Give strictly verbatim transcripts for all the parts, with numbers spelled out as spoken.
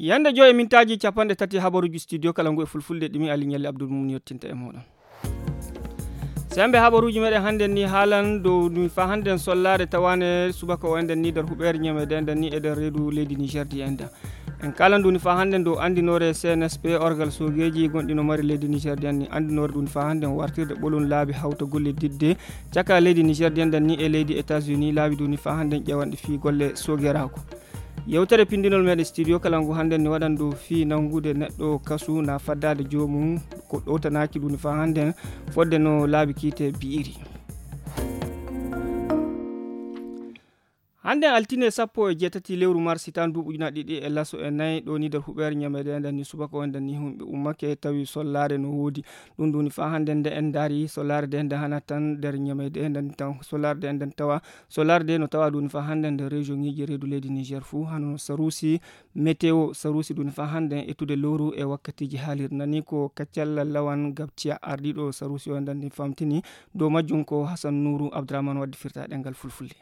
Yande joy e mintaaji capanɗe tati habaruuji studio kala ngu e fulfulde ɗimi Ali Ñalli Abdul Mum yettinta e mooɗon. Sembe habaruuji meɗen hannden ni haalan dow ɗum fa hannden sollaare tawaane subaka o enɗen ni nder huɓeere ñameede enɗen ni e nder reedu leydi Niger di enɗen. En kaalan ɗum fa hannden dow anndinoore C N S P orgal soogeeji gonɗi no mari leydi Niger di enɗen ni anndinoore ɗum fa hannden wartirde ɓolum laabi hawta golle didde caka leydi Niger di enɗen ni e leydi États-Unis laabi ɗum fa hannden ƴewanɗe fii golle soogeeraaku. Yewtere pindinol meɗen studio kala ngu hannden ni waɗan dow fii nangude neɗɗo kasu na faddaade joomum ko ɗowtanaaki ɗum fa hannden fodde no laabi kiite bi'iri. Hannden altine sappo e jeetati lewru mars tan duuɓi ujunaaji ɗiɗi e laso e nayi ɗo ni nder huɓeere ñameede enɗen ni subaka o enɗen ni humɓe ummake tawi sollaare no woodi. Ɗum ɗum fa hannden nde en ndaari sollaare de nde hana tan nder ñameede enɗen tan sollaare de enɗen tawa sollaare de no tawa ɗum fa hannden nder région ŋiji reedu leydi Niger fuu hano sarusi météo sarusi ɗum fa hannden ettude lowru e wakkatiiji haalir nani ko kaccalla lawan gabtiya ardiiɗo sarusi o enɗen ni famtini dow majjum ko Hassan Nourou Abdourahmane waddi firta ɗengal fulfulde.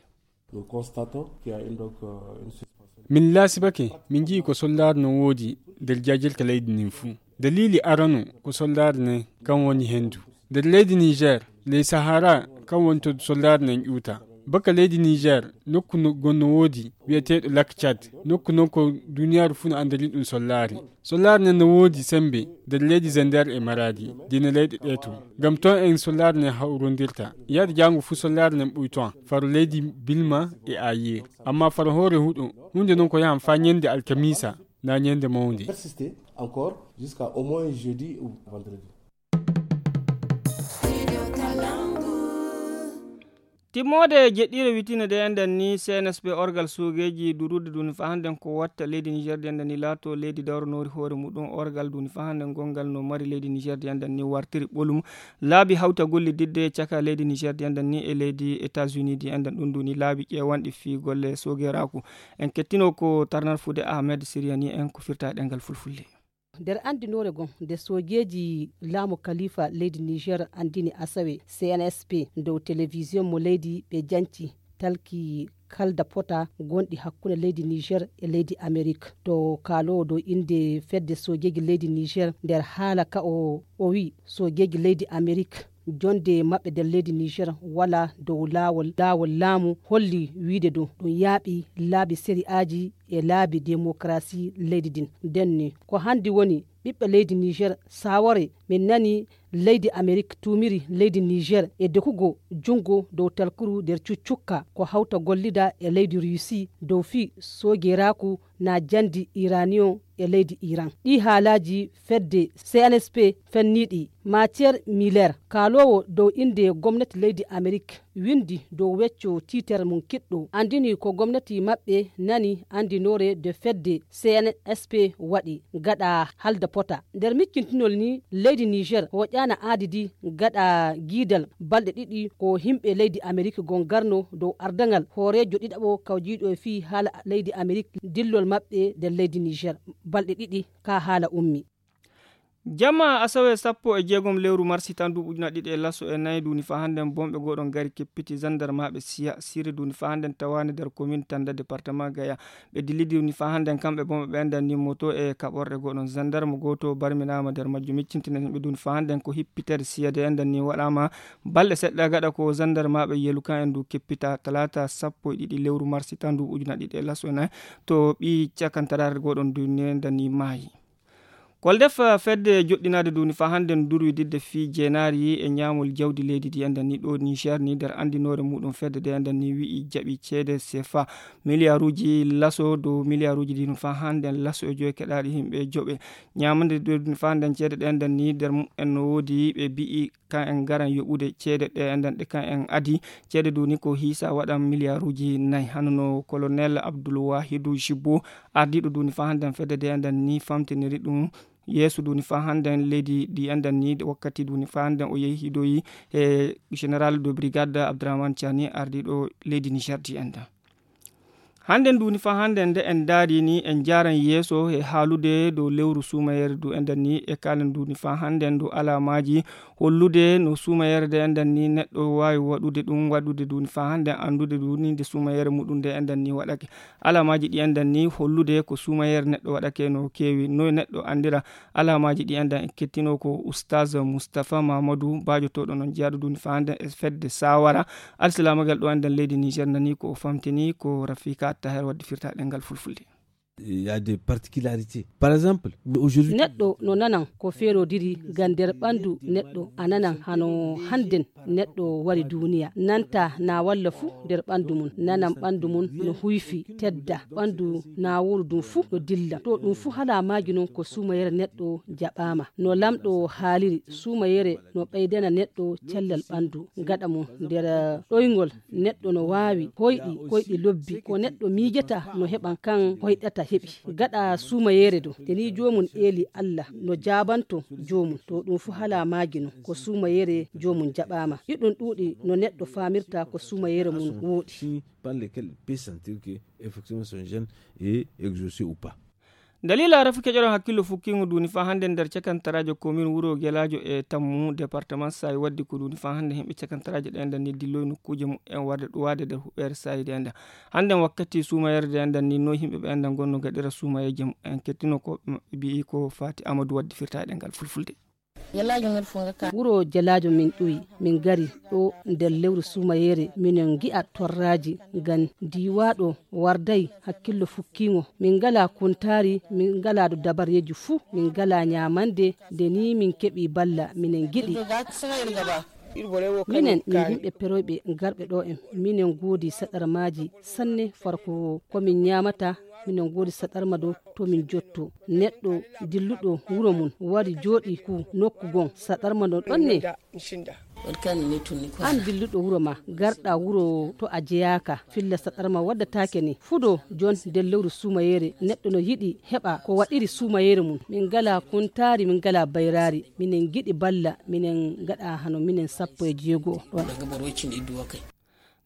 Nous constatons qu'il y a une, donc, euh, une suspension. Min laasibake, min nji'i ko sollaare no woodi nder jaajirka leydi ndin fuu. Dalili arano ko sollaare nden kan woni hendu. Nder leydi Niger, ley Sahara kan woni to sollaare nden ƴuuta. Baka leydi Niger, nokku no gonno woodi wi'eteeɗo Lac Tchad. Nokku non ko duniyaaru fuu no anndiri ɗum sollaare. Sollaare nden no woodi sembe nder leydi Zender e Maradi, dina leyɗe ɗe to. Ngam ton en sollaare nden hawrondirta. Yaade jaango fuu sollaare nden ɓuyton. Faro leydi Bilma e Ayir. Amma faro hoore huɗo, huunde non ko yahan faa ñande alkamiisa, na ñande mawnde. Persister encore jusqu'à au moins jeudi ou vendredi. Timmoode jeɗɗiire witine de enɗen ni C N S P orgal soogeeji durude duni fa hannden ko watta leydi Niger de enɗen ni laato leydi dawranoori hoore muɗum orgal duni fa hannden gongal no mari leydi Niger de enɗen ni wartiri ɓolum laabi hawta gollididde caka leydi Niger de enɗen ni e leydi États-Unis de enɗen ɗum duni laabi ƴeewanɗi fii golle soogeeraaku. En kettino ko tarnarfude Ahmed Siriani en ko firta e ɗengal fulfulde. Nder anndinoore goo nde soojeeji laamu kalifa leydi Niger anndini asawe C N S P dow telewisiyon mo leydi ɓe janci talki kalda pota gonɗi hakkunde leydi Niger e leydi Amerik. To kaaloowo dow innde fedde soojeeji leydi Niger nder haala ka o o wi soojeeji leydi Amerik jonde maɓɓe nder leydi Niger wala dow laawol laawol laamu holli wiide dow ɗum yaaɓi laabi sari'aaji e laabi demokarasi leydi din. Nden ni ko hanndi woni ɓiɓɓe leydi Niger sawore min nani leydi Amerik tumiri leydi Niger e dokugo junngo dow talkuru nder cuccukka ko hawta gollida e leydi Russie dow fii soogeeraaku na jandi iraniyon e leydi Iran. Ɗii haalaaji fedde C N S P fenniiɗi Matière Miller kaaloowo dow innde gomnati leydi Amerik winndi dow wecco tiitere mum kiɗɗo anndini ko gomnati maɓɓe nani anndinoore de fedde C N S P waɗi gaɗa halda pota. Nder miccintinol ni leydi Niger hoƴaana aadidi gaɗa giidal balɗe ɗiɗi ko himɓe leydi Amerik gongarno dow ardangal hooreejo ɗiɗaɓo kawjiiɗo e fii haala leydi Amerik dillol maɓɓe nder leydi Niger balɗe ɗiɗi ka haala ummi. Jamma asawe sappo e jeegom lewru marsi tan duuɓi ujuna ɗiɗi e laso e nayi duni fa hannden bomɓe goɗon gari keppiti zandarmaɓe siya siri duni fa hannden tawani nder komin tanda département gaya. Ɓe dillidi duni fa hannden kamɓe bomɓe ɓe endan ni moto e kaɓorɗe goɗon zandarma goto barminama nder majjum miccintinen ɓe duni fa hannden ko hippitere siyade endan ni waɗama balɗe seɗɗa gaɗa ko zandarmaɓe yelu kan en du keppita talata sappo e ɗiɗi lewru marsi tan duuɓi ujuna ɗiɗi e laso e nayi to ɓi cakantarare goɗon duni endan ni maayi. Koldef fedde joɗɗinaade duni fa hannden durwi didde fii jeenaari e ñaamol jawdi leydi ndi enden ni ɗo Niger ni nder anndinoore muɗum fedde de enden ni wi'i jaɓi ceede sefa miliyaruuji laso dow miliyaruuji dinu fa hannden laso e joyi keɗaaɗi himɓe joɓe ñaamande duni fa hannden ceede ɗe enden ni nder mumen no woodi ɓe bi'i kan en ngaran yoɓude ceede ɗe enden ɗe kan en adi ceede duni ko hiisa waɗan miliyaruuji nayi hano no colonel Abdul Wahidu Jibbo ardiiɗo duni fa hannden fedde de enden ni famtiniri ɗum yeeso duni fa hannden leydi ndi enden ni wakkati duni fa hannden o yehi hidoyi e général de brigade Abdourahmane Tiani ardiiɗo leydi Niger ndi enden. Hannden duuni faa hannden nde en ndaari ni en njaaran yeeso e haalude dow lewru suumayeere du enɗan ni e kaalen duuni faa hannden dow alaamaaji hollude no suumayeere nde enɗan ni neɗɗo waawi waɗude ɗum waɗude duuni faa hannden anndude duuni nde suumayeere muɗum nde enɗan ni waɗake. Alaamaaji ɗi enɗan ni hollude ko suumayeere neɗɗo waɗake no keewi noy neɗɗo anndira. Alaamaaji ɗi enɗan en kettinoo ko ustaas mustafa mamadou baajotooɗo noon jeyaaɗo duuni faa hannden e fedde saawara alsilaamagel ɗo enɗan leydi niger nani ko o famtini ko rafika attaher waɗde firtaɗe ngal fulfulde. Il y a des particularités. Par exemple, aujourd'hui, neɗɗo no nanan ko feerodiri ngam nder ɓanndu neɗɗo a nanan hano hannden neɗɗo wari duuniya nanta na walla fuu nder ɓanndu mum nanan ɓanndu mum no huyfi tedda ɓanndu na wooru ɗum fuu no dilla to ɗum fuu hala maaji noon ko suumayere neɗɗo jaɓaama no lamɗo haaliri suumayere no ɓeydana neɗɗo cellal ɓanndu gaɗa mum nder ɗoyngol neɗɗo no waawi hoyɗi koyɗi lobbi ko neɗɗo miijata no heɓan kan hoyɗata heɓi gaɗa suumayeere do te ni joomum eeli allah no jaabanto joomum to ɗum fuu hala maaji no ko suumayeere joomum jaɓaama iɗum ɗuuɗi no neɗɗo faamirta ko suumayeere mum wooɗi. Par lesquels il peut sentir que effectivement son jeune est exaucé ou pas. Dalila rafi keƴoɗon hakkillo fukkingo duni fa hannde nder cakantaraajo komin wuro gelaajo e tammu département sayi waddi ko duni fa hannde himɓe cakantaraajo ɗe enda ni dilloy nokkuuje mumen warde ɗuwaade nder huɓeere sayi ɗe enda. Hannde wakkati suumayere ɗe enda ni no himɓe ɓe enda gonno gaɗira suumayeeje mumen kettino ko ɓe maɓɓe mbi'i ko fati amadou waddi firta e ɗengal fulfulde. Wuro jalaajo min ɗuwi min ngari ɗo nder lewru suumayeere minen ngi'a torraaji ngam diiwaaɗo warday hakkillo fukkiingo min ngalaa kuntaari min ngalaa dabareeji fuu min ngalaa ñaamande nde nii min keɓi balla minen ngiɗi minen min yimɓe peroyɓe garɓe ɗo en minen ngoodi saɗarmaaji sanne farko ko min ñaamata minen ngoodi saɗarma ɗo to min jotto neɗɗo dilluɗo wuro mum wari jooɗi ku nokku gon saɗarma no ɗonne. An dilluɗo wuro ma garɗa wuro to a jeyaaka filla saɗarma waddataake ni fuɗo jon nder lewru suumayeere neɗɗo no yiɗi heɓa ko waɗiri suumayeere mum min ngala kuntaari min ngala bayraari minen ngiɗi balla minen ngaɗa hano minen sappo e jeego o ɗon.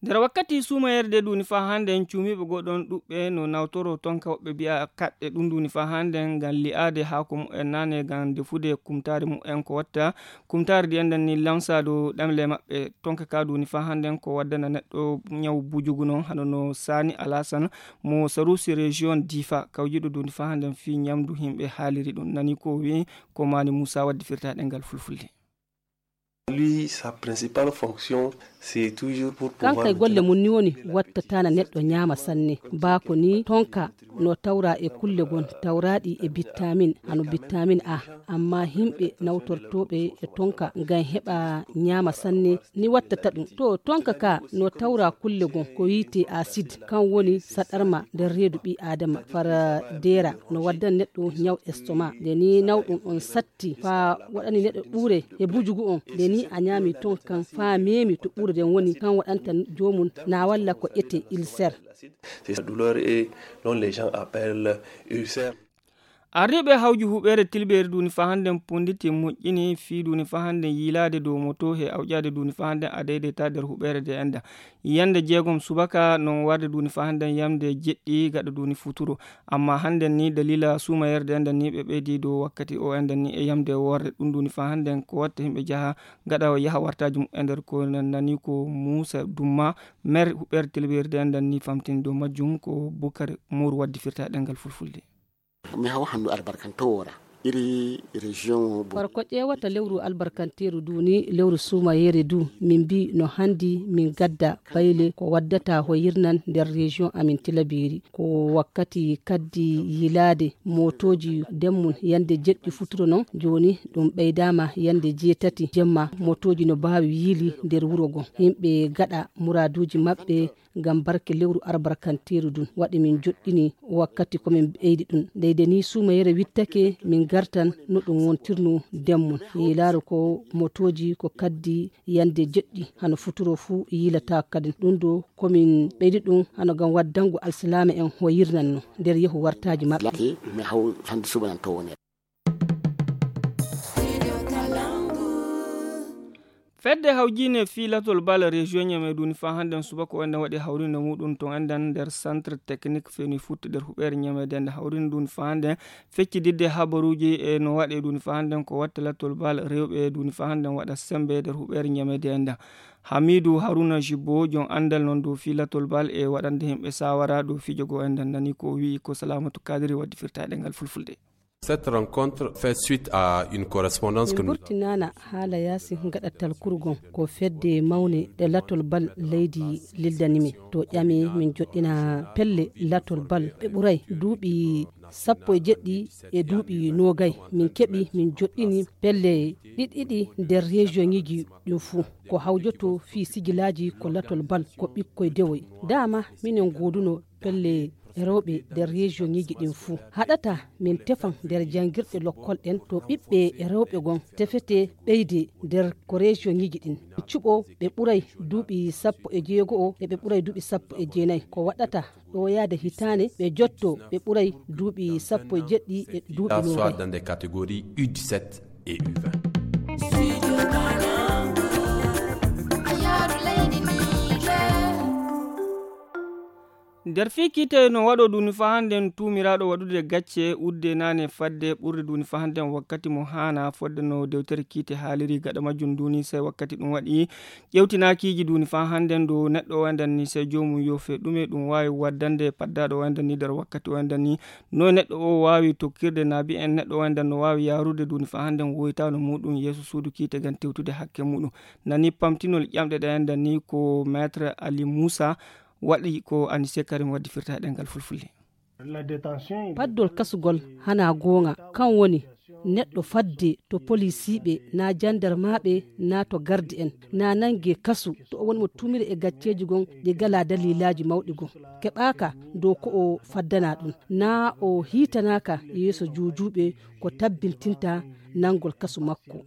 Nder wakkati suumayerde duni faa hannde en cuumiiɓe goo ɗoon ɗuɓɓe no nawtoro tonka woɓɓe mbiya kaɗɗe ɗum duni faa hannde ngam li'aade haako mumen naane ngam defude kumtaari mumen ko watta kumtaari ndi enɗan ni lamsaado ɗemle maɓɓe tonka ka duni faa hannde ko waddana neɗɗo ñaw bujugu noon hano no saani alasan mo sarusi région difa kawjiɗo duni faa hannde fii ñamdu himɓe haaliri ɗum nani ko wi ko maani muusa waddi firta ɗengal fulfulde. Lui sa principale fonction c'est toujours pour pouvoir kankay golle mum ni woni wattatana neɗɗo ñaama sanne baako ni tonka no tawra e kulle gon tawraɗi e bittamin hano bittamin a amma himɓe nawtortoɓe e tonka ngam heɓa ñaama sanne ni wattata ɗum to tonka ka no tawra kulle gon ko yiite acide kan woni saɗarma nder reedu ɓi adama fara deera no waddan neɗɗo ñaw estoma nde ni nawɗum on satti fa waɗani neɗɗo ɓuure e bujugu on nde ni a ñaami ton kan fa meemi to ɓuure nden woni kan waɗanta joomum na walla ko ete ulcère. C'est sa douleur et dont les gens appellent ulcère. Arriiɓe hawju huɓeere tilɓeere duni fa hannden ponditi moƴƴini fii duni fa hannden yiilaade dow moto he awƴaade duni fa hannden a deydeyta nder huɓeere de enda yande jeegom subaka non warde duni fa hannden yamde jeɗɗi gaɗa duni futuro. Amma hannden ni dalila suumayerde enden ni ɓe ɓeydi dow wakkati o enden ni e yamde worde ɗum duni fa hannden ko watta himɓe jaha gaɗa yaha wartaji mumen nder ko nani ko muusa dumma mer huɓeere tilɓeerde enden ni famtini dow majjum ko bukar moru waddi firta ɗengal fulfulde. Mi hawa hannu albarkantoora iri région o. Bor ko ƴeewata lewru albarkanteeru du ni lewru suumayeere du min mbi no hanndi min gadda bayle ko waddata hoyirnan nder région amin tilabeeri ko wakkati kaddi yiilaade mootooji demmum yande jeɗɗi futuro noon jooni ɗum ɓeydaama yande jeetati jemma mootooji no mbaawi yiili nder wuro ngo yimɓe ngaɗa muraaduuji maɓɓe ngam barke lewru arbarkanteeru ndun waɗi min joɗɗini wakkati ko min ɓeydi ɗum ndeyde ni suumayere wittake min gartan no ɗum wontirno demmum yiilaaro ko mootooji ko kaddi yande jeɗɗi hano futuro fuu yiilata kadi ɗum ɗo ko min ɓeydi ɗum hano ngam waddango alsilaama en hoyirnan no nder yehu wartaaji maɓɓe. Mi haw hande subanan to wonere. Fedde hawjiinde fii latol bal region Ñame duuni faa hannden subaka o enɗan waɗi hawriinde muuɗum ton enɗan nder centre technique Feni Foot nder huɓeere Ñame de enɗan hawriinde duuni faa hannden feccididde habaruuji e no waɗe duuni faa hannden ko watta latol bal rewɓe duuni faa hannden waɗa sembe nder huɓeere Ñame de enɗan. Hamidu Haruna Jibo jon anndal non dow fii latol bal e waɗande yimɓe saawara dow fijo goo enɗan nani ko o wi'i ko Salamatu Kadiri waddi firta e ɗemngal fulfulde. Cette rencontre fait suite à une correspondance que nous avons. Min burtinaana haala yaasi gaɗa talkurgon ko fedde mawne ɗe latol bal leydi lildani min. To ƴami min joɗɗina pelle latol bal ɓe ɓuray duuɓi sappo e jeɗɗi e duuɓi noogay. Min keɓi min joɗɗini pelle ɗiɗi ɗiɗi nder région ŋiji ɗin fuu. Ko hawjoto fii sigilaaji ko latol bal ko ɓikkoy dewoy. Dama minen gooduno pelle rewɓe nder région ŋiji ɗin fuu. Haɗata min tefan nder janngirɗe lokkol ɗen to ɓiɓɓe rewɓe gon tefete ɓeyde nder ko région ŋiji ɗin. Cuɓo ɓe ɓuray duuɓi sappo e jeego o e ɓe ɓuray duuɓi sappo e jeenay. Ko waɗata ɗo yaade hitaande ɓe jotto ɓe ɓuray duuɓi sappo e jeɗɗi e duuɓi Soit noogay. Dans des catégories U dix-sept et U vingt. Nder fii kiite no waɗo duuni faa hannden tuumiraaɗo waɗude gacce udde naane fadde ɓurde duuni faa hannden wakkati mo haana fodde no dewtere kiite haaliri gaɗa majjum duuni sey wakkati ɗum waɗi ƴewtinaakiiji duuni faa hannden dow neɗɗo o enɗan ni sey joomum yoofe ɗume ɗum waawi waddande paddaaɗo o enɗan ni nder wakkati o enɗan ni no neɗɗo o waawi tokkirde naabi en neɗɗo o enɗan no waawi yaarude duuni faa hannden woytaano muuɗum yeeso suudu kiite ngam tewtude hakke muuɗum. Nani pamtinol ƴamɗe ɗe enɗan ni ko maître Ali Moussa waɗi ko Anise Karim waddi firta e ɗemngal fulfulde. Paddol kasugol hana goonga kan woni neɗɗo fadde to polisiiɓe naa jandarmaaɓe naa to gardi en naa nange kasu to o woni mo tumiri e gacceeji gon ɗi galaa daliilaaji mawɗi gon keɓaaka dow ko o faddanaa ɗum naa o hiitanaaka yeeso juujuuɓe ko tabbintinta nangol kasu makko.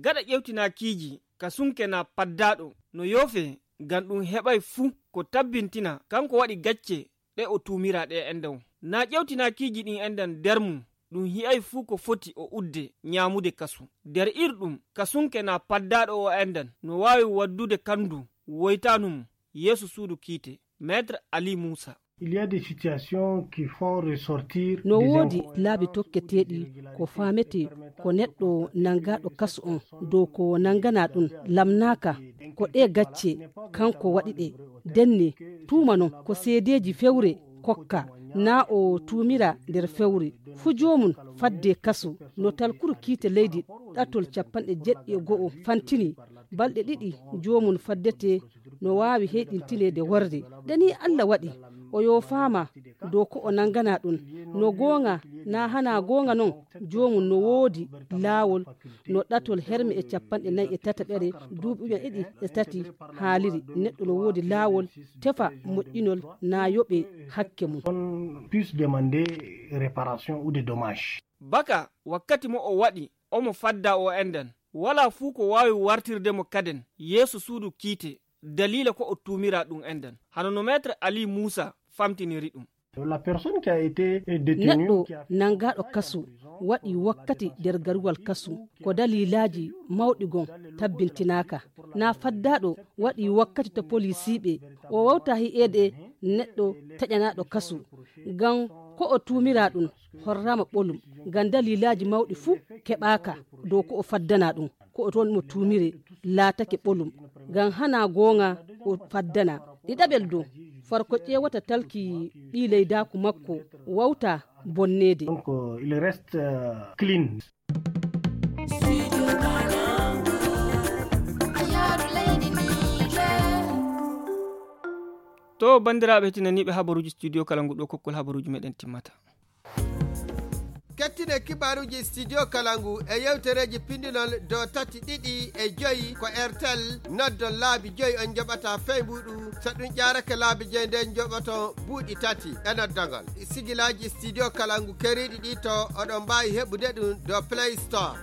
Gaɗa ƴewtinaakiiji kasunke naa paddaaɗo no yoofee ngam ɗum heɓay fuu ko tabbintina kanko waɗi gacce ɗe o tuumiraa ɗe enɗan. Naa ƴewtinaakiiji ɗin enɗan nder mum ɗum hi'ay fuu ko foti o udde ñaamude kasu. Nder ir ɗum kasunke naa paddaaɗo o enɗan no waawi waddude kanndu woytaanu mum yeeso suudu kiite. Maître Ali Moussa. Il y a des situations qui font ressortir no woodi laabi tokketeeɗi ko faametee ko neɗɗo nanngaaɗo kasu on dow ko nannganaa ɗum lamnaaka ko ɗee gacce kanko waɗi ɗe denne tuuma non ko seedeeji fewre kokka naa o tuumira nder fewre fuu joomum fadde kasu no talkuru kiite leydi ɗatol cappanɗe jeɗɗi e go'o fantini balɗe ɗiɗi joomum faddetee no waawi heyɗintineede worre ɗe nii Alla waɗi o yoofaama dow ko o nannganaa ɗum no goonga naa hanaa goonga non joomum no woodi laawol no ɗatol herme e cappanɗe nayi e tataɓere duuɓi ujunere ɗiɗi e tati haaliri neɗɗo no woodi laawol tefa moƴƴinol naa yoɓe hakke mum. Puisse demander réparation ou des dommages. Baka wakkati mo o waɗi omo fadda o enɗan walaa fuu ko waawi wartirde mo kaden yeeso suudu kiite daliila ko o tuumiraa ɗum enɗan hano no maître Ali Moussa famtiniri ɗum. La personne qui a été détenue neɗɗo nanngaaɗo kasu waɗi wakkati nder garuwal kasu ko daliilaaji mawɗi gon tabbintinaaka naa faddaaɗo waɗi wakkati to polisiiɓe o wawta hi'eede neɗɗo taƴanaaɗo kasu ngam ko o tuumiraa ɗum horraama ɓolum ngam daliilaaji mawɗi fuu keɓaaka dow ko o faddanaa ɗum ko o toon mo tuumiri laatake ɓolum ngam hanaa goonga o faddanaa ɗiɗaɓel dow farko ƴeewata talki ɓii leydaaku makko wawta bonneede. Donc il reste clean. To banndiraaɓe tinaniiɓe habaruuji studio kala ngu ɗo kokkol habaruuji meɗen timmata. Kettine kibaaruuji studio kala ngu e yewtereeji pindinol dow tati ɗiɗi e joyi ko airtel noddon laabi joyi on njoɓata fey mbuuɗu so ɗum ƴaarake laabi joyi nden njoɓoto buuɗi tati e noddogol sigilaaji studio kala ngu keriiɗi ɗi to oɗon mbaawi heɓude ɗum dow play store.